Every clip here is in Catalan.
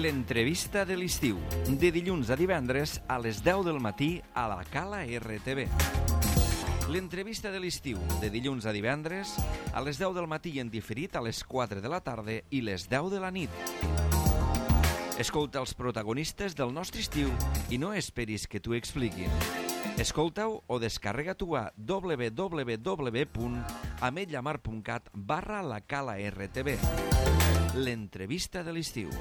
L'entrevista de l'estiu, de dilluns a divendres a les 10 del matí a la Cala RTV. L'entrevista de l'estiu, de dilluns a divendres a les 10 del matí i en diferit a les 4 de la tarda i les 10 de la nit. Escolta els protagonistes del nostre estiu i no esperis que t'ho expliquin. Escolta-ho o descarrega-t'ho a www.ametllamar.cat/la-cala-rtb. L'entrevista de l'estiu.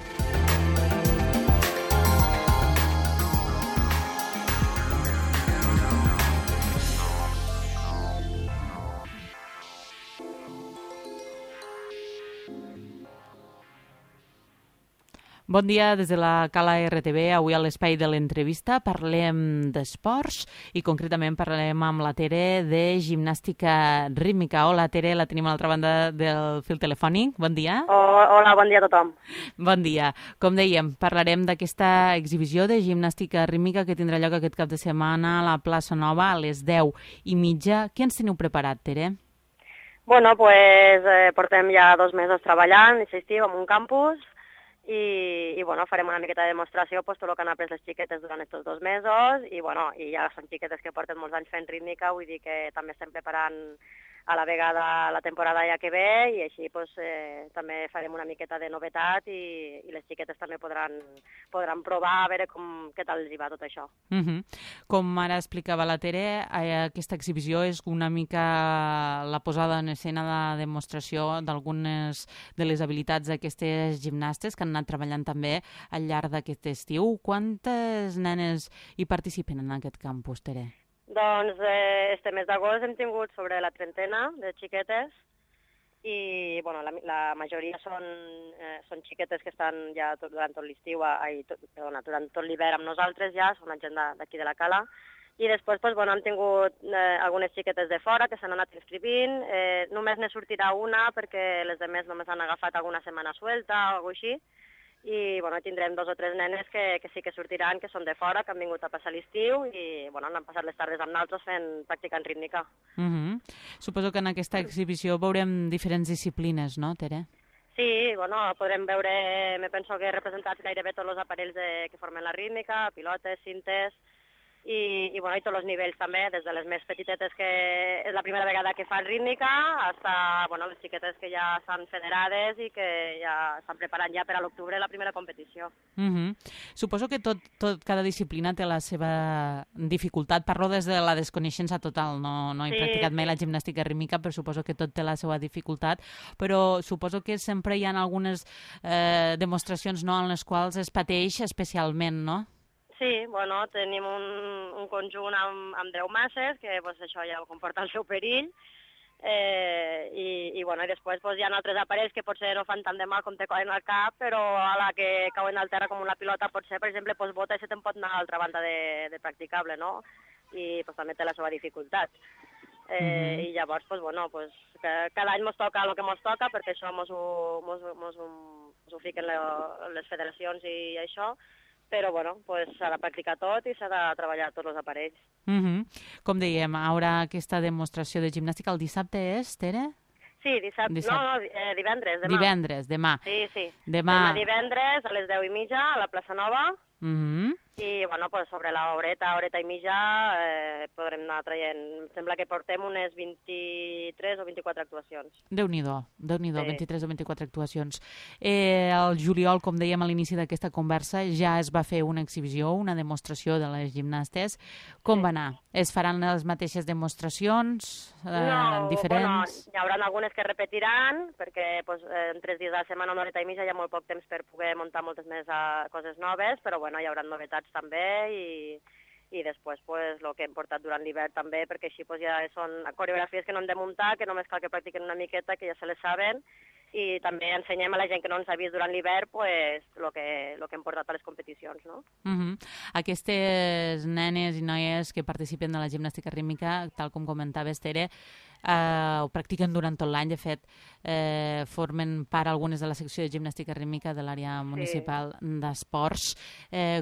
Bon dia des de la Cala RTV. Avui a l'espai de l'entrevista parlem d'esports i concretament parlem amb la Tere de gimnàstica rítmica. Hola Tere, la tenim a l'altra banda del fil telefònic. Bon dia. Hola, bon dia a tothom. Bon dia. Com dèiem, parlarem d'aquesta exhibició de gimnàstica rítmica que tindrà lloc aquest cap de setmana a la plaça Nova a les 10:30. Què ens teniu preparat, Tere? Bueno, pues portem ja 2 mesos treballant, aquest estiu, en un campus, i bueno, farem una miqueta de demostració, pues, tot el que han après les xiquetes durant aquests 2 mesos, i bueno, i ja són xiquetes que porten molts anys fent rítmica, vull dir que també estem preparant a la vegada la temporada ja que ve, i així pues, també farem una miqueta de novetat i les xiquetes també podran provar a veure què tal els hi va tot això. Com ara explicava la Tere, aquesta exhibició és una mica la posada en escena de demostració d'algunes de les habilitats d'aquestes gimnastes que han anat treballant també al llarg d'aquest estiu. Quantes nenes hi participen en aquest campus, Tere? Doncs este mes d'agost hem tingut sobre la 30 de xiquetes i bueno, la majoria són xiquetes que estan ja durant tot l'estiu, durant tot l'hivern amb nosaltres ja, són la gent d'aquí de la Cala. I després pues, bueno, hem tingut algunes xiquetes de fora que s'han anat inscrivint, només ne sortirà una perquè les demés només han agafat alguna setmana suelta o alguna cosa així. I bueno, tindrem 2 o 3 nenes que sí que sortiran, que són de fora, que han vingut a passar l'estiu i bueno, han passat les tardes amb nosaltres practicant rítmica. Suposo que en aquesta exhibició veurem diferents disciplines, no, Tere? Sí, bueno, podrem veure, me penso que representats gairebé tots els aparells que formen la rítmica, pilotes, cintes, i bueno, i tots els nivells també, des de les més petitetes que és la primera vegada que fan rítmica fins bueno, les xiquetes que ja estan federades i que ja estan preparant ja per a l'octubre la primera competició. Suposo que cada disciplina té la seva dificultat. Parlo des de la desconeixença total, no he practicat mai la gimnàstica rítmica, però suposo que tot té la seva dificultat, però suposo que sempre hi ha algunes demostracions en les quals es pateix especialment, no? Sí, bueno, tenim un conjunt amb 10 masses, que pues, això ja comporta el seu perill, i bueno, i després pues, hi ha altres aparells que potser no fan tant de mal com te cauen al cap, però a la que cauen al terra com una pilota potser, per exemple, pues, bota i se te'n pot anar a l'altra banda de practicable, no? I pues, també té la seva dificultat. I llavors, pues, bueno, pues, cada any mos toca el que mos toca, perquè això mos ho fiquen les federacions i això, però bueno, pues, s'ha de practicar tot i s'ha de treballar tots els aparells. Com dèiem, hi haurà aquesta demostració de gimnàstica el dissabte, és, Tere? Sí, divendres, demà. Divendres, demà. Sí. Demà divendres a les 10:30 a la plaça Nova. I bueno, pues, sobre la horeta i mitja podrem anar traient. Em sembla que portem unes 23 o 24 actuacions. Déu-n'hi-do, sí. 23 o 24 actuacions. El juliol, com dèiem a l'inici d'aquesta conversa, ja es va fer una exhibició, una demostració de les gimnastes. Com va anar? Es faran les mateixes demostracions diferents? No, hi haurà algunes que repetiran, perquè pues, en 3 dies a la setmana, una horeta i mitja, hi ha molt poc temps per poder muntar moltes més coses noves, però bueno, hi haurà novetats també i després pues, el que hem portat durant l'hivern també, perquè així pues, ja són coreografies que no hem de muntar, que només cal que practiquen una miqueta, que ja se les saben, i també ensenyem a la gent que no ens ha vist durant l'hivern pues, el que hem portat a les competicions. No? Aquestes nenes i noies que participen de la gimnàstica rítmica, tal com comentaves, Tere, ho practiquen durant tot l'any. De fet, formen part algunes de la secció de gimnàstica rítmica de l'àrea municipal d'esports.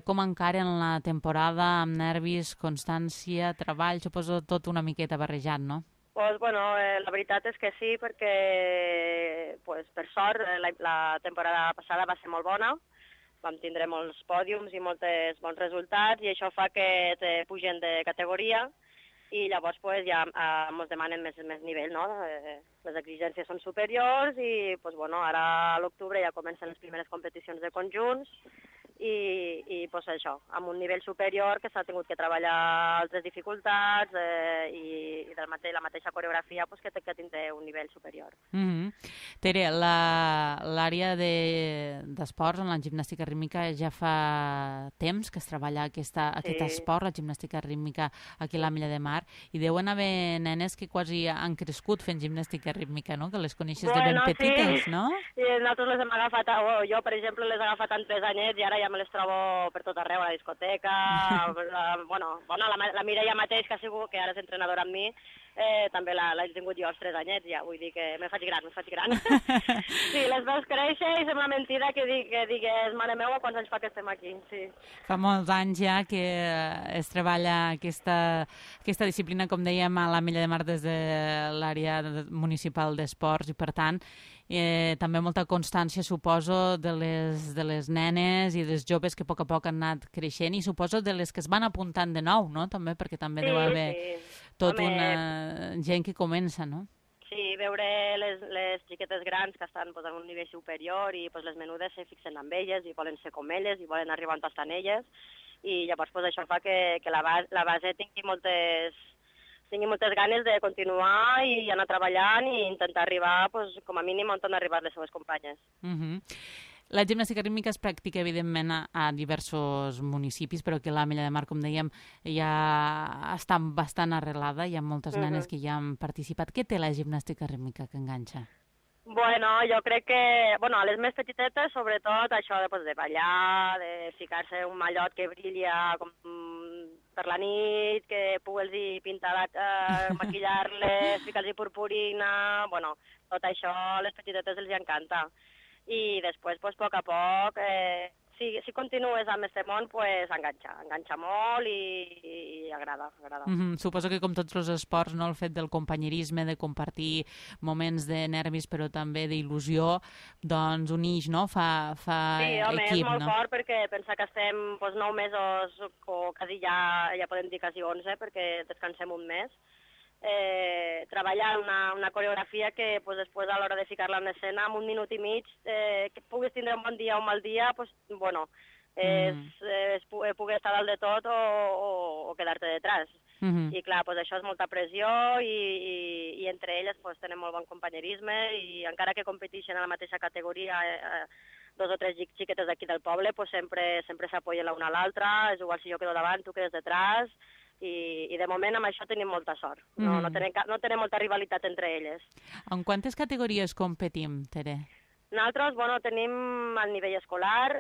Com encaren la temporada amb nervis, constància, treball? Suposo tot una miqueta barrejat, no? Pues, bueno, la veritat és que sí, perquè pues, per sort la temporada passada va ser molt bona. vam tindre molts pòdiums i molts bons resultats, i això fa que te pugen de categoria, i llavors pues, ja ens demanen més nivell, no? Les exigències són superiors i pues, bueno, ara a l'octubre ja comencen les primeres competicions de conjunts i pues, això, amb un nivell superior que s'ha tingut que treballar altres dificultats i la mateixa coreografia pues, que tindrà un nivell superior. Tere, l'àrea d'esports en la gimnàstica rítmica ja fa temps que es treballa aquest esport, la gimnàstica rítmica aquí a l'Ametlla de Mar, i deuen haver nenes que quasi han crescut fent gimnàstica rítmica, no? Que les coneixes de ben petites, no? Sí, nosaltres les hem agafat, jo per exemple les he agafat en 3 anyets i ara ja me les trobo per tot arreu, a la discoteca, la Mireia mateix, que ara és entrenadora amb mi, també l'he tingut jo als 3 anyets, ja, vull dir que me faig gran. Sí, les veus créixer i sembla mentida que digues, mare meva, quants anys fa que estem aquí, sí. Fa molts anys ja que es treballa aquesta disciplina, com dèiem, a l'Ametlla de Mar des de l'àrea municipal d'esports i, per tant, també molta constància, suposo, de les nenes i dels joves que a poc han anat creixent, i suposo de les que es van apuntant de nou, no? També, perquè també deu haver una gent que comença, no? Sí, veure les xiquetes grans que estan en un nivell superior i les menudes se fixen amb elles i volen ser com elles i volen arribar on estan elles, i llavors això fa que la base tingui moltes ganes de continuar i anar treballant i intentar arribar com a mínim on han arribat les seves companyes. La gimnàstica rítmica es practica, evidentment, a diversos municipis, però que l'Ametlla de Mar, com dèiem, ja està bastant arrelada, hi ha moltes nenes que ja han participat. Què té la gimnàstica rítmica que enganxa? Bueno, jo crec que, a les més petitetes, sobretot, això de ballar, de ficar-se un mallot que brilla com per la nit, que pugues-hi pintar, maquillar-les, ficar-los purpurina, tot això a les petitetes els encanta. I després, a poc a poc, si continues amb aquest món, enganxa molt i agrada. Suposo que com tots els esports, no, el fet del companyerisme, de compartir moments de nervis però també d'il·lusió, doncs unix, no? Fa sí, home, equip, és molt no? fort perquè pensa que estem 9 mesos, o quasi ja podem dir quasi 11, perquè descansem un mes, treballar una coreografia que després a l'hora de ficar-la en escena, en 1 minut i mig, que puguis tindre un bon dia o un mal dia, poder estar dalt de tot o quedar-te detrás. I clar, això és molta pressió i entre elles tenen molt bon companyerisme, i encara que competeixen a la mateixa categoria 2 o 3 xiquetes d'aquí del poble, sempre s'apoyen l'una a l'altra, és igual si jo quedo davant, tu quedes detrás, i de moment amb això tenim molta sort. No tenim molta rivalitat entre elles. En quantes categories competim, Tere? Nosaltres, tenim al nivell escolar,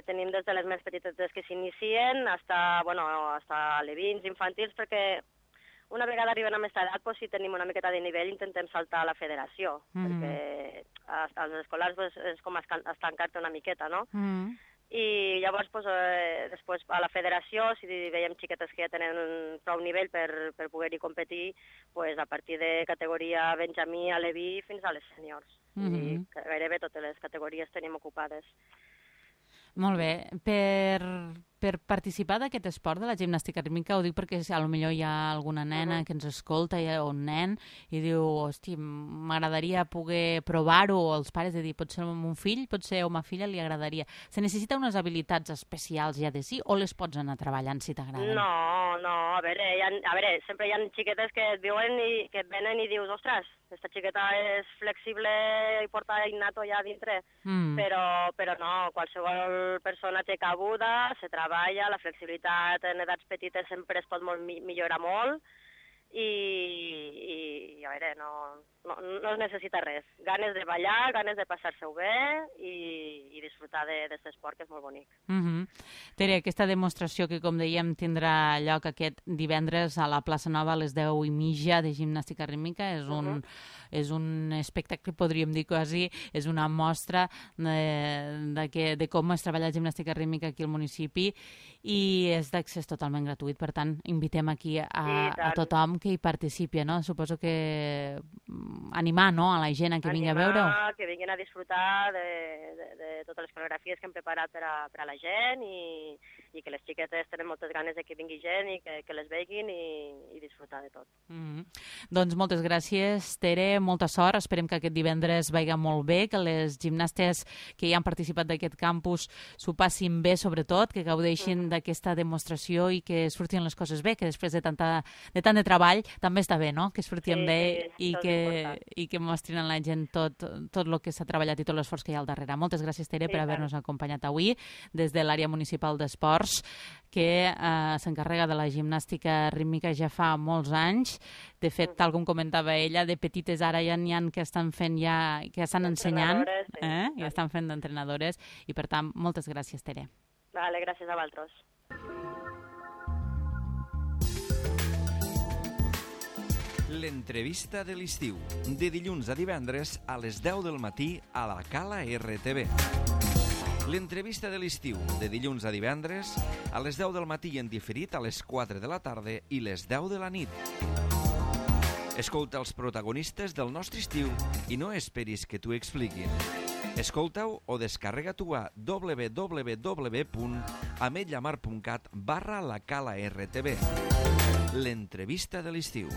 tenim des de les més petites que s'inicien fins a alevins, infantils, perquè una vegada arriben a aquesta edat, si tenim una miqueta de nivell, intentem saltar a la federació, perquè als escolars és com estancar-te una miqueta, no? I llavors, després a la federació, si veiem xiquetes que ja tenen prou nivell per poder-hi competir, a partir de categoria benjamí, aleví, fins a les sèniors. I gairebé totes les categories tenim ocupades. Molt bé. Per participar d'aquest esport de la gimnàstica rítmica, ho dic perquè potser hi ha alguna nena que ens escolta o un nen i diu, hosti, m'agradaria poder provar-ho, o els pares de dir, potser a mon fill, potser a ma filla li agradaria. Se necessita unes habilitats especials ja de si, o les pots anar treballant si t'agraden? No, a veure, sempre hi ha xiquetes que et viuen i que et venen i dius, ostres, aquesta xiqueta és flexible i porta innato ja dintre, però no, qualsevol persona té cabuda, se treballa, la flexibilitat en edats petites sempre es pot millorar molt, i a veure, no es necessita res. Ganes de ballar, ganes de passar-se-ho bé i disfrutar d'aquest esport, que és molt bonic. Tere, aquesta demostració que, com dèiem, tindrà lloc aquest divendres a la plaça Nova a les 10:30 de gimnàstica rítmica, és un espectacle, podríem dir quasi, és una mostra de com es treballa la gimnàstica rítmica aquí al municipi, i és d'accés totalment gratuït. Per tant, invitem aquí a tothom que hi participi, no? Suposo que animar, no?, a la gent a que vingui a veure-ho. Que vinguin a disfrutar de totes les coreografies que hem preparat per a la gent i que les xiquetes tenen moltes ganes de que vingui gent i que les veguin i disfrutar de tot. Doncs moltes gràcies, Tere, molta sort. Esperem que aquest divendres vagi molt bé, que les gimnastes que hi han participat d'aquest campus s'ho passin bé, sobretot, que gaudeixin d'aquesta demostració i que surtin les coses bé, que després de tant de treball també està bé, no?, que surtin bé i que mostrin a la gent tot el que s'ha treballat i tot l'esforç que hi ha al darrere. Moltes gràcies, Tere, per haver-nos acompanyat avui des de l'àrea municipal d'esports, que s'encarrega de la gimnàstica rítmica ja fa molts anys. De fet, tal com comentava ella, de petites ara ja n'hi ha que estan fent que estan ensenyant, i estan fent d'entrenadores, i per tant, moltes gràcies, Tere. Vale, gràcies a vosaltres. L'entrevista de l'estiu, de dilluns a divendres a les 10 del matí a la Cala RTV. L'entrevista de l'estiu, de dilluns a divendres a les 10 del matí i en diferit a les 4 de la tarda i les 10 de la nit. Escolta els protagonistes del nostre estiu i no esperis que t'ho expliquin. Escolta-ho o descarrega-t'ho a www.ametlllamar.cat/la Cala RTV. L'entrevista de l'estiu.